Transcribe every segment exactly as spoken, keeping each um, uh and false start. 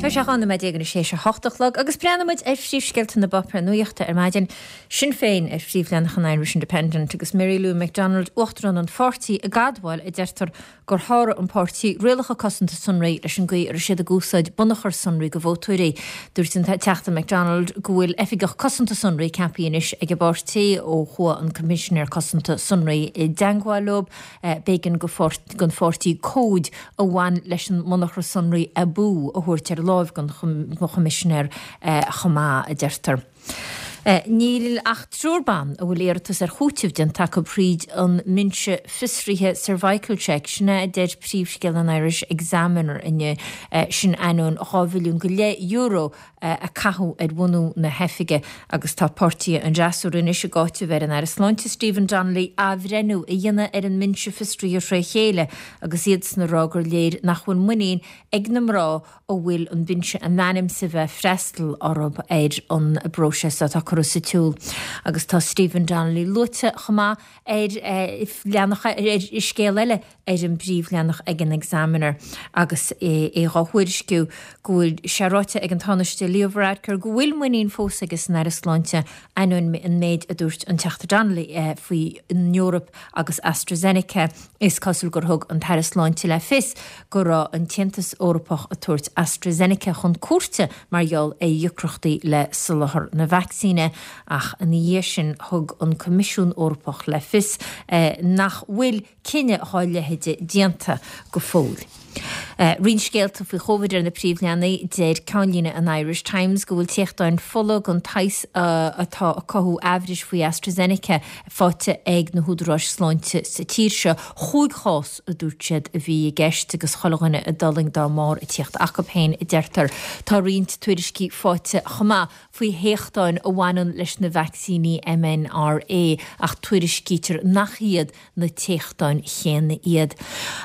Tá sé dhá nóiméad déag anois théis a hocht a chlog agus breathnaímid ar phríomhscéalta na bpáipéar nuachta ar maidin. Sinn Féin ar phríomhleathanach an Irish Independent agus Mary Lou McDonald, uachtarán an pháirtí, ag admháil a deirtear gur sháraigh an páirtí rialacha cosanta sonraí leis an gcaoi a raibh siad ag úsáid bunachar sonraí de vótóirí. Dúirt an Teachta McDonald go bhfuil oifigeach cosanta sonraí ceaptha anois ag an bpáirtí ó chuaigh an Coimisinéir Cosanta Sonraí i dteagmháil leo. B'éigean don pháirtí cóid a bhain leis an mbunachar sonraí abú a thabhairt ar láimh don Choimisinéir chomh maith, a deirtear. Níl ach triúr ban a bhfuil iarratas ar chúiteamh déanta acu thríd an mbinse fiosraithe Cervical Check, sin é a deir príomhscéal an Irish Examiner inniu, sin ainneoin dhá mhilliún go leith euro a caitheadh ar bhunú na hoifige agus tá páirtithe an fhreasúra anois ag áiteamh ar an Aire Sláinte Stephen Donnelly athbhreithniú a dhéanamh ar an mbinse fiosraithe tré chéile agus iadsan ag rá gur léir nach bhfuil muinín ag na mná a bhfuil an binse in ainm is a bheith freastal orthu ar an bpróiseas atá curtha sa tsiúl. Agus tá Stephen Donnelly luaite chomh maith ar leathanach ar scéal eile ar an bpríomhleathanach ag an Examiner agus é dhá thuairisciú go bhfuil sé ráite ag an Tánaiste Leo Varadkar go bhfuil muinín fós aige san Aire Sláinte ainneoin an méid a dúirt an Teachta Donnelly faoi an Eoraip agus AstraZeneca. Is cosúil gur thug an tAire Sláinte le fios go raibh an tAontas Eorpach ag tabhairt AstraZeneca chun cúirte mar gheall ar dheacrachtaí le soláthar na vacsaíne ach ina dhiaidh sin thug an Coimisiún Eorpach le fios nach bhfuil cinneadh dá leithéide déanta go fóill. Roinnt scéalta faoi Chóvid ar na príomhleathanaigh, deir ceannlíne an Irish Times go bhfuil téachtáin fola den tsaghas atá ag cothú aimhris faoi AstraZeneca faighte ag na húdaráis sláinte sa tír seo. Chúig chás, a dúirt siad, a bhí i gceist agus chuile dhuine a d'fhulaing dá mbarr ag tíocht acu féin, a deirtear. Tá roinnt tuairiscí faighte chomh maith faoi théachtáin a bhaineann leis na vacsaíní M N R A ach tuairiscítear nach iad na téachtáin chéanna iad.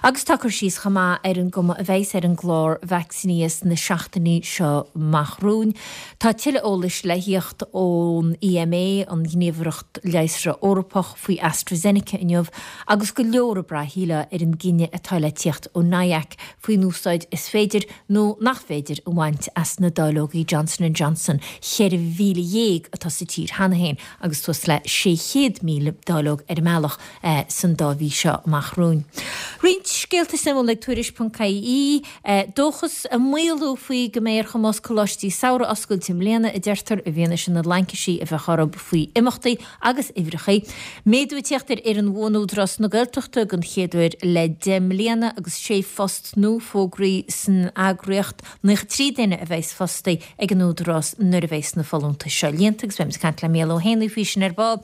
Agus tá cur síos chomh maith ar an gcuma a bheas ar an gclár vacsaínithe sna seachtainí seo amach romhainn. Tá tuilleadh eolais le theacht ón E M A, an Ghníomhaireacht Leigheasra Eorpach, faoi AstraZeneca inniu agus go leor ag brath ar an gcinneadh atá le tíocht ó N I A C faoin úsáid is féidir nó nach féidir a bhaint as na dáileogaí Johnson and Johnson ceithre mhíle dhéag atá sa tír cheana féin agus suas le sé chéad míle dáileog ar an mbealach eh, san dá mhí seo amach romhainn. Roinnt scéalta suimiúla ag tuairisc ponc I E dóchas ag maolú faoi go mbeidh ar chumas coláistí samhraidh oscailt i mbliana, a deirtear, i bhfianaise na laincisí a bheith orthu faoi imeachtaí agus uimhreacha. Méadú ag tíocht ar fhoireann bhuan Údarás na Gaeltachta den chéad uair le deich mbliana agus sé phost nua fógraithe san eagraíocht. Naocha trí duine a bheas fostaithe ag an Údarás nuair a bheas na folúntais seo líonta agus beimid ag caint le Mícheál Ó Héanaí faoi sin ar ball.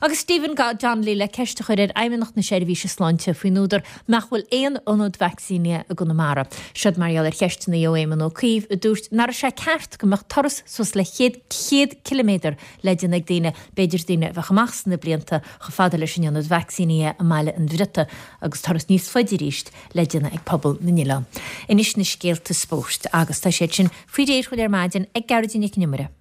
Agus Stephen Donnelly le ceist a chur ar Fheidhmeannacht na Seirbhíse Sláinte faoin údar nach bhfuil aon ionad vacsaínithe i gConamara. Siod mar gheall ar cheisteanna ó Éamon Ó Cuív a dúirt nach raibh sé ceart go mbeadh turas suas le chéad chéad kiloméadar le déanamh ag daoine, b'fhéidir daoine a bheadh amach sna blianta chomh fada leis an ionad vacsaínithe i mBaile an Bhriota agus turas níos faide arís le déanamh ag pobal na n-oileán. Anois na scéalta spóirt agus tá siad sin faoi réir ar maidin ag Gearóidín Nic an Iomaire.